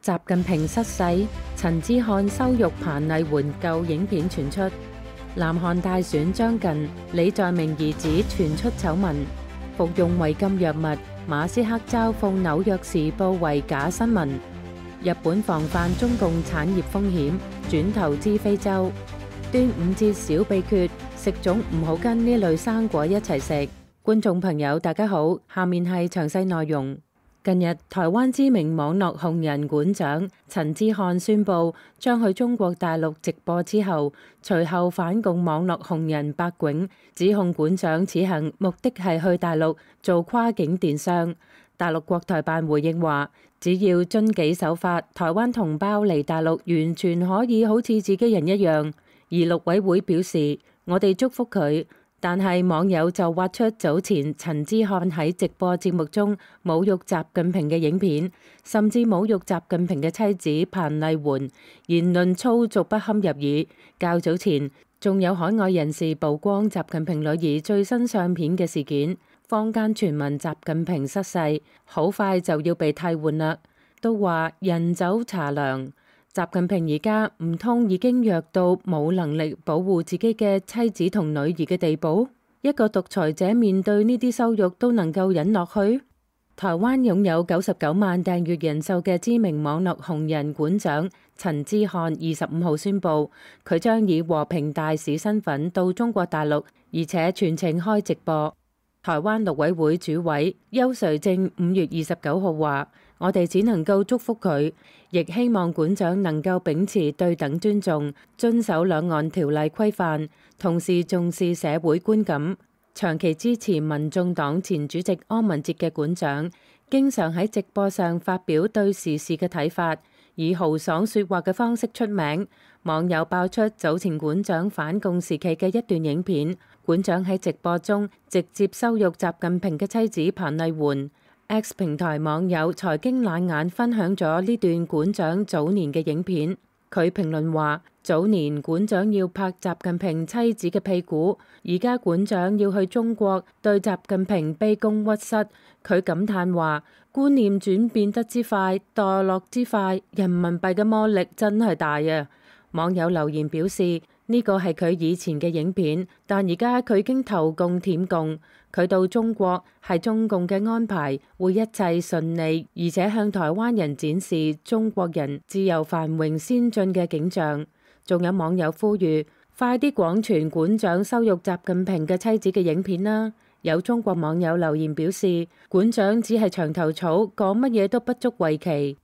習近平失勢，陳之漢羞辱彭麗媛舊影片傳出。南韓大選將近，李在明兒子傳出醜聞，服用違禁藥物，馬斯克嘲諷紐約時報為假新聞。日本防範中共產業風險，轉投資非洲。端午節小秘訣，食粽唔好跟呢類生果一齊食。觀眾朋友大家好，下面係詳細內容。近日，台灣知名網絡紅人館長陳之漢宣布將去中國大陸直播之後，隨後反共網絡紅人白囧指控館長此行目的係去大陸做跨境電商。大陸國台辦回應話，只要遵紀守法，台灣同胞嚟大陸完全可以好似自己人一樣。而陸委會表示，我哋祝福佢。但係網友就挖出早前陳之漢喺直播節目中侮辱習近平嘅影片，甚至侮辱習近平嘅妻子彭麗媛，言論粗俗不堪入耳。較早前仲有海外人士曝光習近平女兒最新相片嘅事件，坊間傳聞習近平失勢，好快就要被替換啦，都話人走茶涼。習近平而家唔通已經弱到冇能力保護自己嘅妻子同女兒嘅地步？一個獨裁者面對呢啲羞辱都能夠忍落去？台灣擁有99萬訂閱人數嘅知名網絡紅人館長陳之漢25號宣布，佢將以和平大使身份到中國大陸，而且全程開直播。台灣陸委會主委邱垂正5月29號話，我哋只能夠祝福佢，亦希望館長能夠秉持對等尊重，遵守兩岸條例規範，同時重視社會觀感。長期支持民眾黨前主席柯文哲嘅館長，經常喺直播上發表對時事嘅睇法，以豪爽說話嘅方式出名。網友爆出早前館長反共時期嘅一段影片，館長喺直播中直接羞辱習近平嘅妻子彭麗媛。X 平台網友財經冷眼分享咗呢段館長早年嘅影片，佢評論話：早年館長要拍習近平妻子嘅屁股，而家館長要去中國對習近平卑躬屈膝。佢感嘆話：觀念轉變得之快，墮落之快，人民幣嘅魔力真係大啊！網友留言表示，呢個係佢以前嘅影片，但而家佢已經投共舔共。佢到中國係中共嘅安排，會一切順利，而且向台灣人展示中國人自由繁榮先進嘅景象。仲有網友呼籲，快啲廣傳館長羞辱習近平嘅妻子嘅影片啦！有中國網友留言表示，館長只係牆頭草，講乜嘢都不足為奇。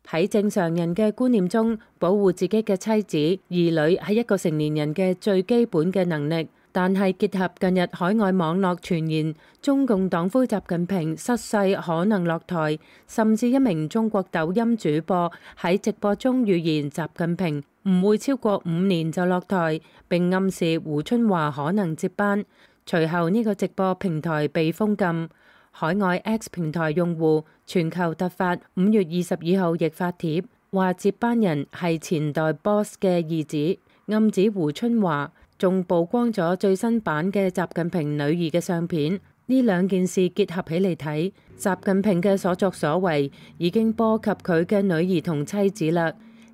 喺正常人嘅觀念中，保護自己嘅妻子、兒女係一個成年人嘅最基本嘅能力。但係結合近日海外網絡傳言，中共黨魁習近平失勢可能落台，甚至一名中國抖音主播喺直播中預言習近平唔會超過5年就落台，並暗示胡春華可能接班。隨後呢個直播平台被封禁。海外 X 平台用戶全球突發5月22號亦發帖，話接班人係前代 boss 嘅兒子，暗指胡春華，仲曝光咗最新版嘅習近平女兒嘅相片。呢兩件事結合起嚟睇，習近平嘅所作所為已經波及佢嘅女兒同妻子啦。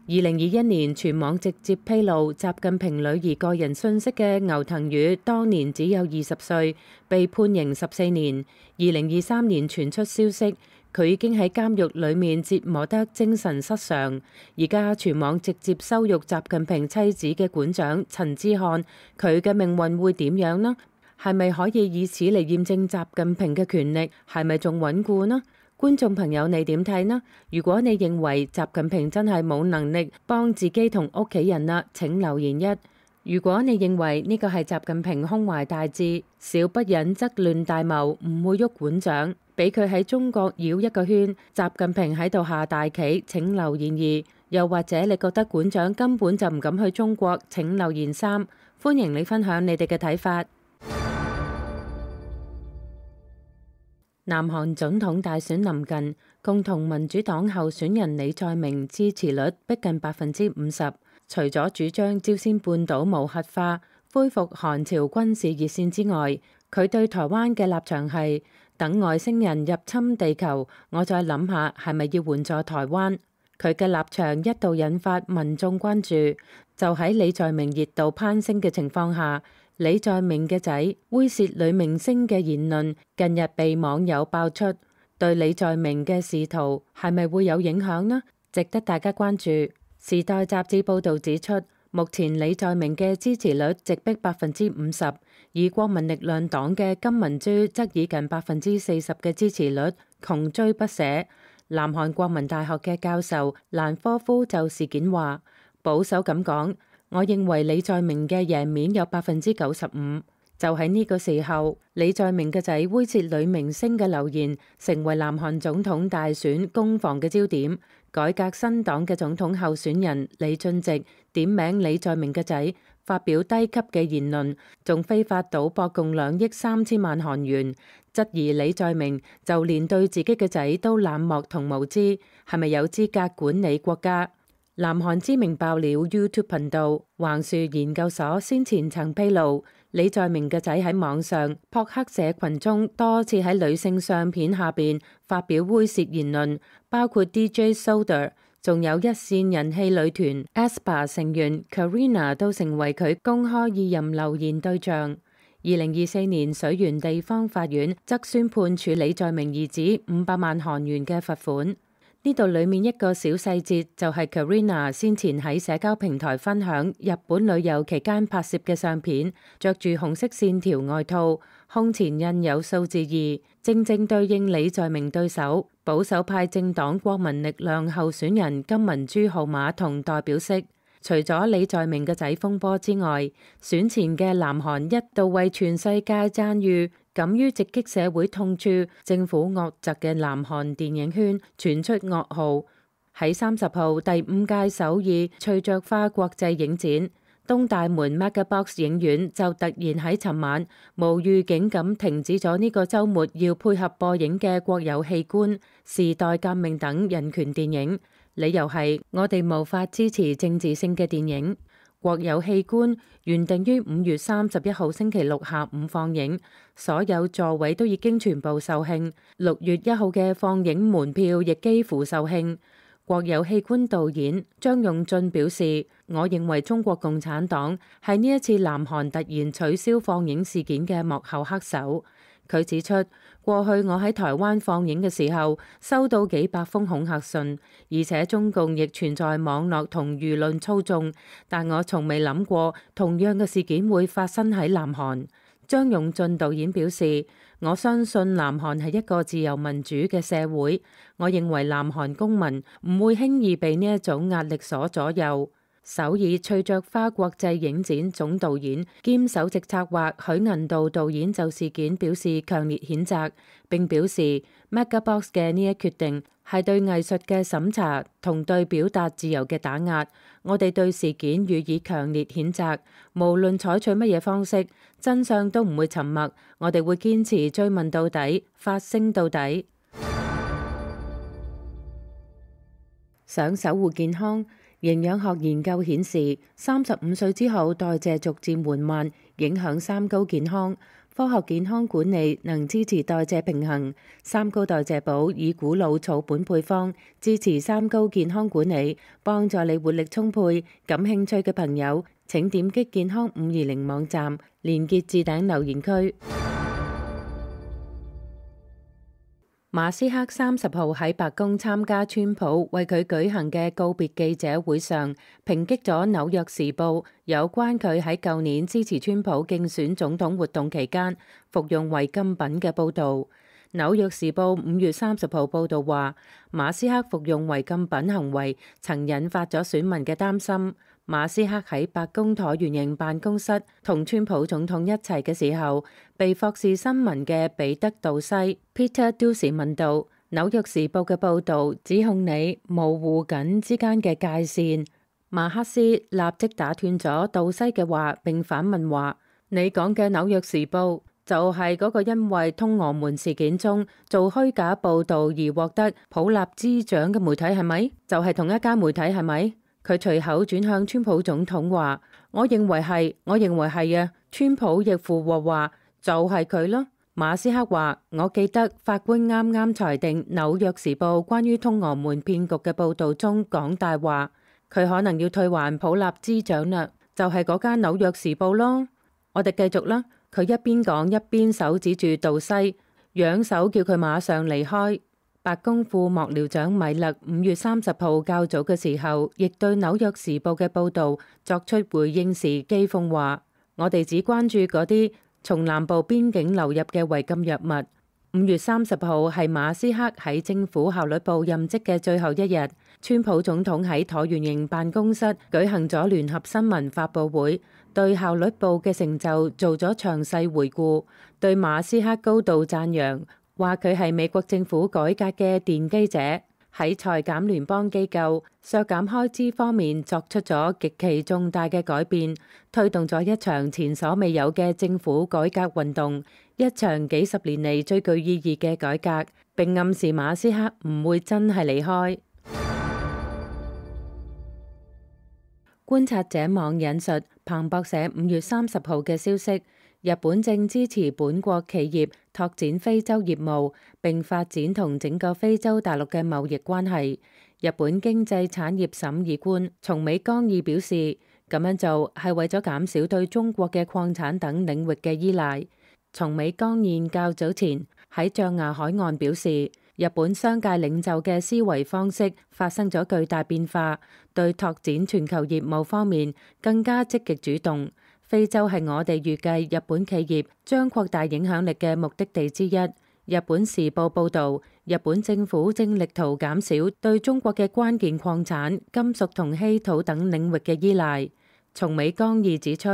2021年全網直接披露習近平女兒個人信息嘅牛騰宇，當年只有20歲，被判刑14年。2023年傳出消息，佢已經喺監獄裡面折磨得精神失常。而家全網直接羞辱習近平妻子嘅館長陳之漢，佢嘅命運會點樣呢？係咪可以以此嚟驗證習近平嘅權力係咪仲穩固呢？觀眾朋友，你點睇呢？如果你認為習近平真係冇能力幫自己同屋企人啦，請留言1。如果你認為呢個係習近平胸懷大志，小不忍則亂大謀，唔會喐館長，俾佢喺中國繞一個圈，習近平喺度下大棋，請留言2。又或者你覺得館長根本就唔敢去中國，請留言3。歡迎你分享你哋嘅睇法。南韓總統大選臨近，共同民主黨候選人李在明支持率逼近50%。除咗主張朝鮮半島無核化、恢復韓朝軍事熱線之外，佢對台灣嘅立場係等外星人入侵地球，我再諗下係咪要援助台灣。佢嘅立場一度引發民眾關注。就喺李在明熱度攀升嘅情況下，李在明嘅仔猥褻女明星嘅言論近日被網友爆出，對李在明嘅仕途係咪會有影響呢？值得大家關注。時代雜誌報導指出，目前李在明嘅支持率直逼50%，而國民力量黨嘅金文珠則以近40%嘅支持率窮追不捨。南韓國民大學嘅教授蘭科夫就事件話：保守咁講，我認為李在明嘅贏面有95%。就喺呢個時候，李在明嘅仔猥褻女明星嘅留言成為南韓總統大選攻防嘅焦點。改革新黨嘅總統候選人李俊植點名李在明嘅仔發表低級嘅言論，仲非法賭博共2億3千萬韓元，質疑李在明就連對自己嘅仔都冷漠同無知，係咪有資格管理國家？南韓知名爆料 YouTube 頻道橫樹研究所先前曾披露，李在明嘅仔喺網上撲克社群中多次喺女性相片下邊發表猥褻言論，包括 DJ Soda， 仲有一線人氣女團 aespa 成員 Karina 都成為佢公開意淫留言對象。2024年水原地方法院則宣判處李在明兒子500萬韓元嘅罰款。呢度裏面一個小細節就係 Karina 先前喺社交平台分享日本旅遊期間拍攝嘅相片，着住紅色線條外套，胸前印有數字2，正正對應李在明對手保守派政黨國民力量候選人金文珠號碼同代表色。除咗李在明嘅仔風波之外，選前嘅南韓一度為全世界讚譽敢於直擊社會痛處、政府惡習嘅南韓電影圈傳出噩耗。喺30號第5屆首爾翠雀花國際影展，東大門 Megabox 影院就突然喺尋晚無預警咁停止咗呢個週末要配合播映嘅國有器官、時代革命等人權電影。理由係我哋無法支持政治性嘅電影。國有器官原定於5月31號星期六下午放映，所有座位都已經全部售罄。6月1號嘅放映門票亦幾乎售罄。國有器官導演張用俊表示：我認為中國共產黨係呢一次南韓突然取消放映事件嘅幕後黑手。佢指出，過去我喺台灣放映嘅時候，收到幾百封恐嚇信，而且中共亦存在網絡同輿論操縱，但我從未諗過同樣嘅事件會發生喺南韓。張用俊導演表示：我相信南韓係一個自由民主嘅社會，我認為南韓公民唔會輕易被呢一種壓力所左右。首爾翠雀花國際影展總導演兼首席策劃許銀道導演就事件表示強烈譴責，並表示 Megabox 嘅呢一決定係對藝術嘅審查同對表達自由嘅打壓。我哋對事件予以強烈譴責，無論採取乜嘢方式，真相都唔會沉默，我哋會堅持追問到底，發聲到底。想守護健康，營養學研究顯示，35歲之後代謝逐漸緩慢，影響三高健康。科學健康管理能支持代謝平衡。三高代謝寶以古老草本配方支持三高健康管理，幫助你活力充沛。感興趣嘅朋友請點擊健康520網站，連結置頂留言區。馬斯克30號喺白宮參加川普為佢舉行嘅告別記者會上，抨擊咗紐約時報有關佢喺舊年支持川普競選總統活動期間服用違禁品嘅報導。紐約時報5月30號報導話，馬斯克服用違禁品行為曾引發咗選民嘅擔心。馬斯克喺白宮橢圓形辦公室同川普總統一齊嘅時候，被霍士新聞嘅彼得杜西 Peter Doocy 問到：紐約時報嘅報導指控你模糊緊之間嘅界線。馬克思立即打斷咗杜西嘅話，並反問話：你講嘅紐約時報就係嗰個因為通俄門事件中做虛假報導而獲得普立茲獎嘅媒體係咪？就係同一間媒體係咪？佢隨口轉向川普總統話：我認為係啊。川普亦附和話：就係佢咯。馬斯克話：我記得法官啱啱裁定《紐約時報》關於通俄門騙局嘅報導中講大話，佢可能要退還普立茲獎啦，就係嗰間《紐約時報》咯。我哋繼續啦。佢一邊講一邊手指住杜西，揚手叫佢馬上離開。白宮副幕僚長米勒5月30號較早嘅時候，亦對《紐約時報》嘅報導作出回應時譏諷話：我哋只關注嗰啲從南部邊境流入嘅違禁藥物。5月30號係馬斯克喺政府效率部任職嘅最後一日，川普總統喺橢圓形辦公室舉行咗聯合新聞發佈會，對效率部嘅成就做咗詳細回顧，對馬斯克高度讚揚，話佢係美國政府改革嘅奠基者，喺裁減聯邦機構、削減開支方面作出咗極其重大嘅改變，推動咗一場前所未有嘅政府改革運動，一場幾十年嚟最具意義嘅改革，並暗示馬斯克唔會真係離開。觀察者網引述彭博社5月30號嘅消息，日本正支持本國企業拓展非洲業務，並發展同整個非洲大陸嘅貿易關係。日本經濟產業審議官松尾光二表示，咁樣做係為咗減少對中國嘅礦產等領域嘅依賴。松尾光二較早前喺象牙海岸表示，日本商界領袖嘅思維方式發生咗巨大變化，對拓展全球業務方面更加積極主動。非洲係我哋預計日本企業將擴大影響力嘅目的地之一。日本時報報導，日本政府正力圖減少對中國嘅關鍵礦產、金屬同稀土等領域嘅依賴。松尾光二指出，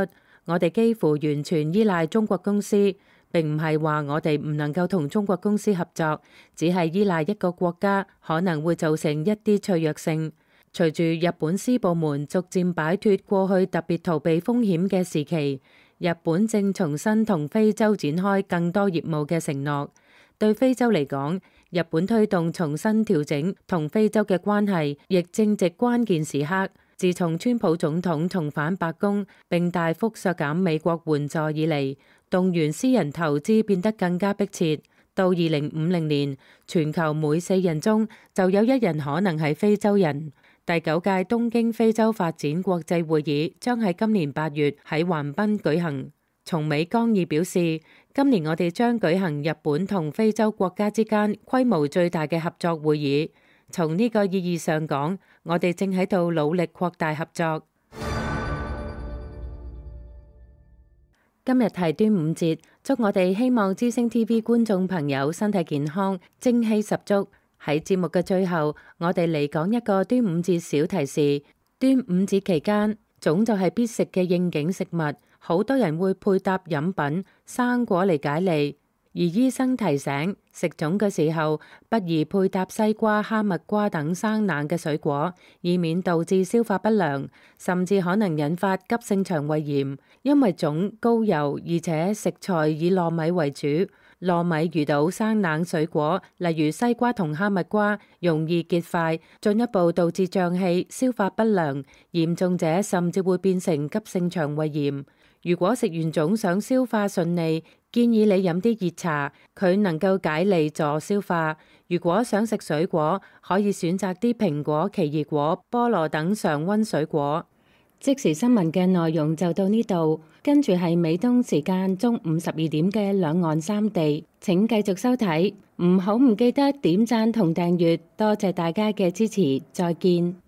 我哋幾乎完全依賴中國公司，並唔係話我哋唔能夠同中國公司合作，只係依賴一個國家可能會造成一啲脆弱性。隨住日本私部門逐漸擺脫過去特別逃避風險嘅時期，日本正重新同非洲展開更多業務嘅承諾。對非洲嚟講，日本推動重新調整同非洲嘅關係，亦正值關鍵時刻。自從川普總統重返白宮並大幅削減美國援助以嚟，動員私人投資變得更加迫切。到2050年，全球每4人中就有1人可能係非洲人。第9屆東京非洲發展國際會議將喺今年8月喺橫濱舉行。松尾光二表示，今年我哋將舉行日本同非洲國家之間規模最大嘅合作會議。從呢個意義上講，我哋正喺度努力擴大合作。今日係端午節，祝我哋希望之聲 TV 觀眾朋友身體健康，精氣十足。喺節目嘅最後，我哋嚟講一個端午節小提示。端午節期間，粽就係必食嘅應景食物，好多人會配搭飲品、生果嚟解膩。而醫生提醒，食粽嘅時候不宜配搭西瓜、哈密瓜等生冷嘅水果，以免導致消化不良，甚至可能引發急性腸胃炎。因為粽高油，而且食材以糯米為主，糯米遇到生冷水果，例如西瓜同哈密瓜，容易結塊，進一步導致脹氣、消化不良，嚴重者甚至會變成急性腸胃炎。如果食完粽想消化順利，建議你飲啲熱茶，佢能夠解膩助消化。如果想食水果，可以選擇啲蘋果、奇異果、菠蘿等常溫水果。即時新聞嘅內容就到呢度，跟住係美東時間中午12點嘅兩岸三地，請繼續收睇，唔記得點讚同訂閱，多謝大家嘅支持，再見。